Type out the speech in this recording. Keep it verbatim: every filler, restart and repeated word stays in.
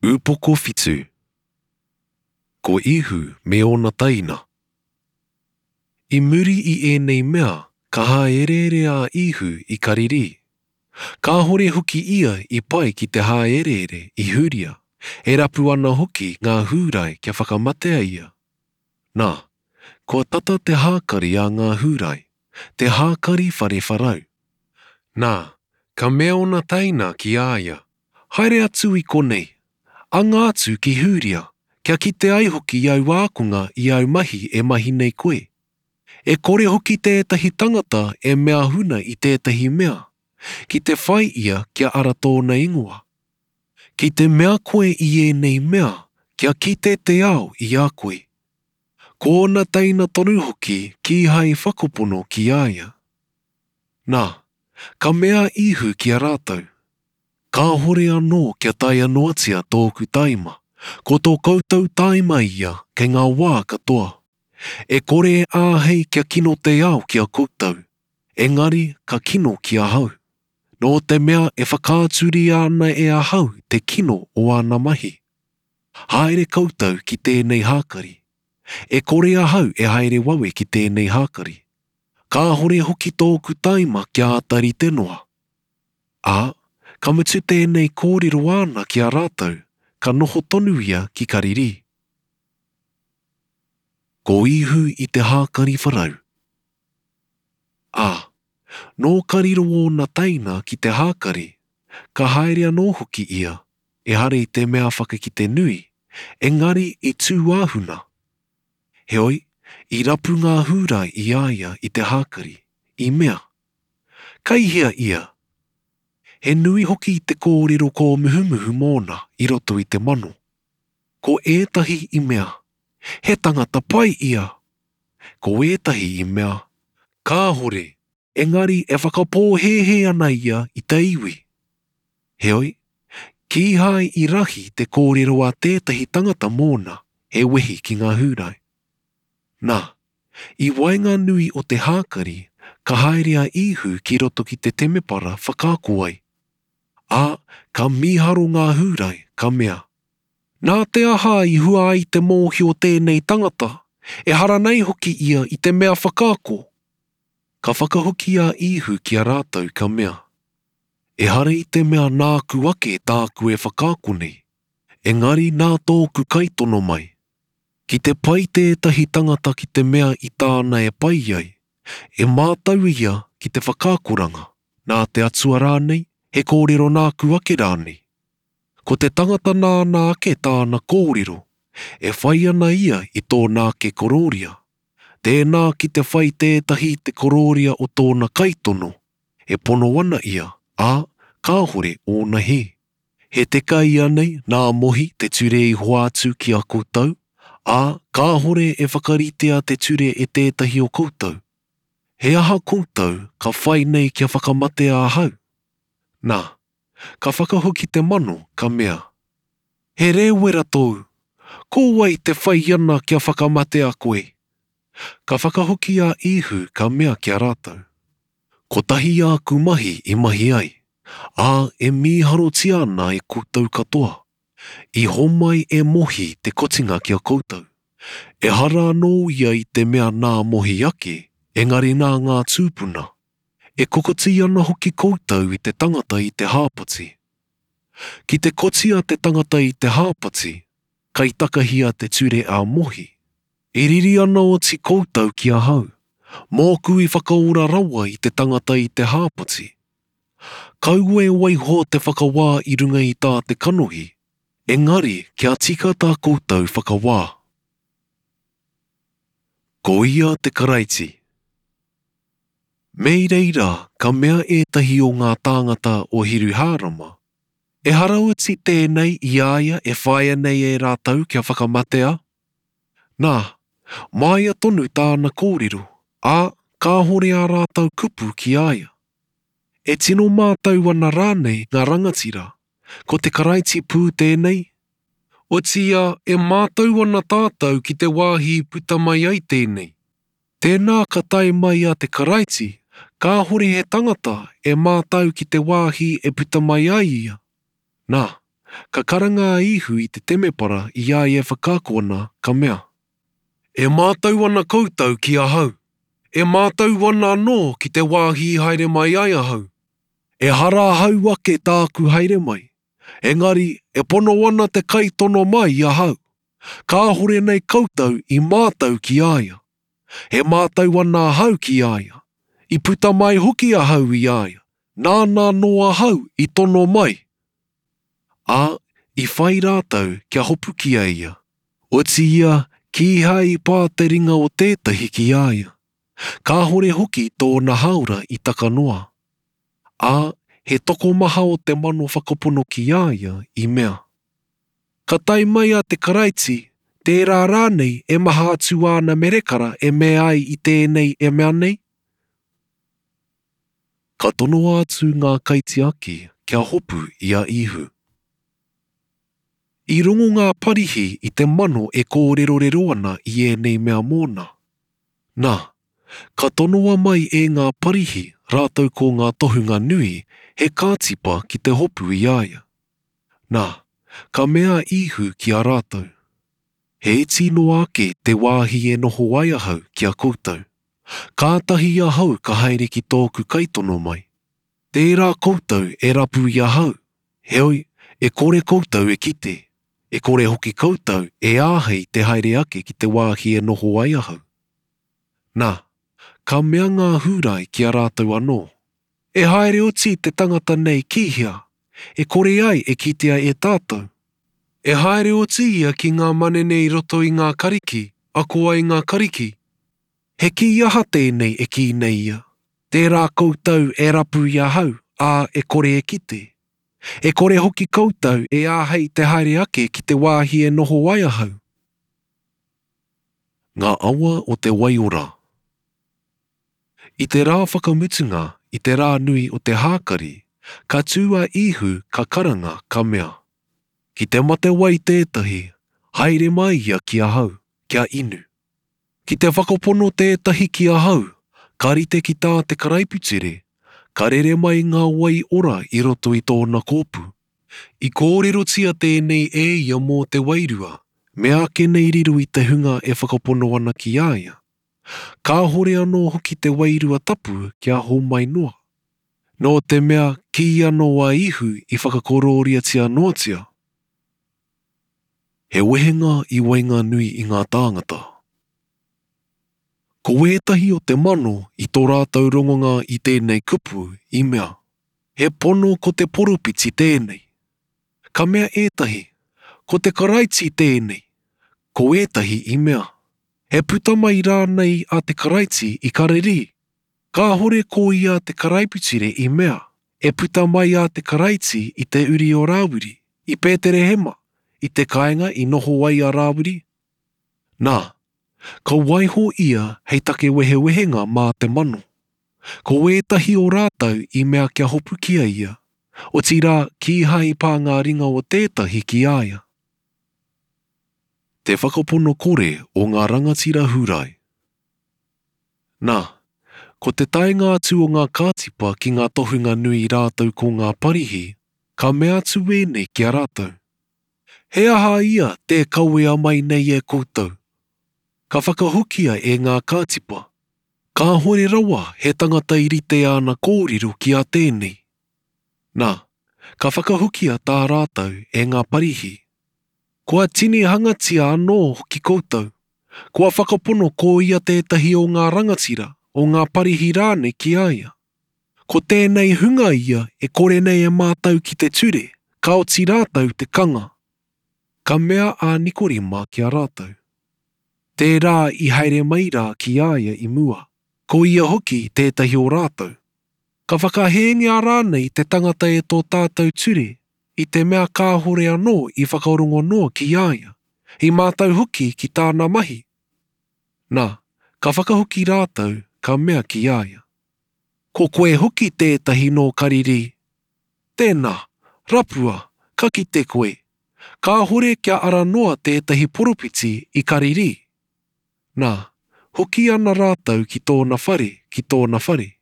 Upoko whitu. Ko Ihu me ōna teina. I muri i ēnei mea, ka hāereere a Ihu i Karirī. Kāhore hoki ia i pai ki te hāereere i Hūria, e rapu ana hoki ngā Hūrai kia whakamatea ia. Nā, kua tata te hākari a ngā Hūrai, te hākari whare wharau. Nā, ka mea ōna teina ki a ia, Haere atu i konei, anga atu ki Hūria, kia kite ai hoki āu ākonga i āu mahi e mahi nei koe. E kore hoki tētahi tangata e mea huna i tētahi mea, ki te whai ia kia ara tōna ingoa. Ki te mea koe i ēnei mea, kia kite te ao i a koe. Ko ōna teina tonu hoki kīhai whakapono ki a ia. Nā, ka mea a Ihu ki a rātou, Kāhore anō kia taea noatia tōku taima, ko tō koutou taima ia kei ngā wā katoa. E kore e āhei kia kino te ao ki a koutou, engari ka kino ki ahau, nō te mea e whakaaturia ana e ahau te kino o āna mahi. Haere koutou ki tēnei hākari. E kore ahau e haere wawe ki tēnei hākari. Kāhore hoki tōku taima kia āta rite noa. Ā, ka mutu tēnei kōrero āna ki a rātou, ka noho tonu ia ki Karirī. Ko Ihu i te hākari wharau. Ā, nō ka riro ōna teina ki te hākari, ka haere anō hoki ia, ehara i te mea whakakite nui, engari i tūāhuna. Heoi, i rapu ngā Hūrai i a ia i te hākari, i mea, Kei hea ia? He nui hoki te kōrero kōmuhumuhu mōna i roto i te mano. Ko ētahi i mea, He tangata pai ia. Ko ētahi i mea, Kāhore, engari e whakapōhēhē ana ia i te iwi. Heoi, kīhai i rahi te kōrero a tētahi tangata mōna, he wehi ki ngā Hūrai. Nā, i waenganui o te hākari, ka haere a Ihu ki roto ki te temepara whakaako ai. Ā, ka mīharo ngā Hūrai, ka mea, Nā te aha i hua ai te mōhio tēnei tangata, ehara nei hoki ia i te mea whakaako? Ka whakahoki a Ihu ki a rātou, ka mea, Ehara i te mea nāku ake tāku e whakaako nei, engari nā tōku kaitono mai. Ki te pai tētahi tangata ki te mea i tāna e pai ai, e mātau ia ki te whakaakoranga, nā te Atua rānei, he kōrero nāku ake rānei. Ko te tangata nāna ake tāna kōrero, e whai ana ia i tōna ake korōria. Tēnā ki te whai tētahi te korōria o tōna kaitono, e pono ana ia, ā, kāhore ōna hē. He teka ianei nā Mohi te ture i hoatu ki a koutou, ā, kāhore e whakaritea te ture e tētahi o koutou. He aha koutou ka whai nei kia whakamatea ahau? Nā, ka whakahoki te mano, ka mea, He rēwera tōu, ko wai te whai ana kia whakamatea koe? Ka whakahoki a Ihu, ka mea ki a rātou, Kotahi āku mahi i mahi ai, ā, e mīharotia ana e koutou katoa. I homai e Mohi te kotinga ki a koutou. Ehara anō ia i te mea nā Mohi ake, engari nā ngā tūpuna. E kokoti ana hoki koutou i te tangata i te hāpati. Ki te kotia te tangata i te hāpati, kai takahia te ture a Mohi. E riri ana oti koutou ki ahau, mōku i whakaora rawa i te tangata i te hāpati. Kaua e waiho te whakawā i runga i tā te kanohi, engari kia tika tā koutou whakawā. Ko ia te Karaiti. Me i reira ka mea ētahi o ngā tāngata o Hiruhārama, Ehara oti tēnei i a ia e whāia nei e rātou kia whakamatea? Nā, māia tonu tāna kōrero, ā, kāhore ā rātou kupu ki a ia. E tino mātau ana rānei ngā rangatira, ko te Karaiti pū tēnei? Otiia, e mātau ana tātou ki te wāhi i puta mai ai tēnei. Tēnā ka tae mai a te Karaiti, kāhore he tangata e mātau ki te wāhi e puta mai ai ia. Nā, ka karanga a Īhu i te temepara i a ia e whakaako ana, ka mea, E mātau ana koutou ki ahau, e mātau ana anō ki te wāhi i haere mai ai ahau. Ehara ahau ake tāku haere mai, engari e pono ana te kaitono mai i ahau. Kāhore nei koutou i mātau ki a ia. E mātau ana ahau ki a ia. I puta mai hoki ahau i a ia, nāna anō ahau i tono mai. Ā, i whai rātou kia hopukia ia. Otiia, kīhai i pā te ringa o tētahi ki a ia. Kāhore hoki tōna hāora i taka noa. Ā, he tokomaha o te mano whakapono ki a ia i mea, Ka tae mai a te Karaiti, tērā rānei e maha atu āna merekara e mea ai i tēnei e mea nei? Ka tonoa atu ngā kaitiaki kia hopu i a Īhu. I rongo ngā Parihi i te mano e kōrerorero ana i ēnei mea mōna. Nā, ka tonoa mai e ngā Parihi rātou ko ngā tohunga nui he kātipa ki te hopu i a ia. Nā, ka mea a Īhu ki a rātou, He iti noa ake te wāhi e noho ai ahau ki a koutou. Kātahi ahau ka haere ki tōku kaitono mai. Tērā koutou e rapu i ahau, heoi, e kore koutou e kite, e kore hoki koutou e āhei te haere ake ki te wāhi e noho ai ahau. Nā, ka mea ngā Hūrai ki a rātou anō, E haere oti te tangata nei ki hea, e kore ai e kitea e tātou? E haere oti ia ki ngā manene i roto i ngā Kariki, ako ai ngā Kariki? He kī aha tēnei e kī nei ia, Tērā koutou e rapu i ahau, ā, e kore e kite? E kore hoki koutou e āhei te haere ake ki te wāhi e noho ai ahau. Ngā awa o te waiora. I te rā whakamutunga, i te rā nui o te hākari, ka tū a Īhu ka karanga, ka mea, Ki te matewai tētahi, haere mai ia ki ahau, kia inu. Ki te whakapono tētahi ki ahau, ka rite ki tā te karaipiture, ka rere mai ngā wai ora i roto i tōna kōpū. I kōrerotia tēnei e ia mō te Wairua, meāke nei riro i te hunga e whakapono ana ki a ia. Kāhore anō hoki te Wairua Tapu kia homai noa. Nō te mea kīanō a Ihu i whakakorōriatia noatia. He wehenga i waenganui i ngā tāngata. Ko wētahi o te mano i tō rātou rongonga i tēnei kupu i mea, He pono ko te poropiti tēnei. Ka mea ētahi, Ko te Karaiti tēnei. Ko ētahi i mea, He puta mai rānei a te Karaiti i Karerī? Kāhore ko ia te karaipiture i mea, E puta mai a te Karaiti i te uri o Rāwiri, i Pēterehema, i te kāinga i noho ai a Rāwiri? Nā, ka waiho ia hei take wehewehenga mā te mano. Ko ētahi o rātou i mea kia hopukia ia, otirā kīhai i pā ngā ringa o tētahi ki a ia. Te whakapono kore o ngā rangatira Hūrai. Nā, ko te taenga atu o ngā kātipa ki ngā tohunga nui rātou ko ngā Parihi, ka mea atu ēnei ki a rātou, He aha ia tē kawea mai nei e koutou? Ka whakahokia e ngā kātipa, Kāhore rawa he tangata i rite āna kōrero ki a tēnei. Nā, ka whakahokia tā rātou e ngā Parihi, Kua tinihangatia anō hoki koutou, kua whakapono ko ia tētahi o ngā rangatira, o ngā Parihi rānei ki a ia. Ko tēnei hunga ia e kore nei e mātau ki te ture, ka oti rātou te kanga. Ka mea a Nikorima ki a rātou, Tērā i haere mai rā ki a ia i mua, ko ia hoki tētahi o rātou. Ka whakahēngia rānei te tangata e tō tātou ture, i te mea kāhore anō i whakarongo noa ki a ia, i mātau hoki ki tāna mahi? Nā, ka whakahoki rātou, ka mea ki a ia, Ko koe hoki tētahi nō Karirī? Tēnā, rapua, ka kite koe. Kāhore kia ara noa tētahi poropiti i Karirī. Nā, hoki ana rātou ki tōna whare, ki tōna whare.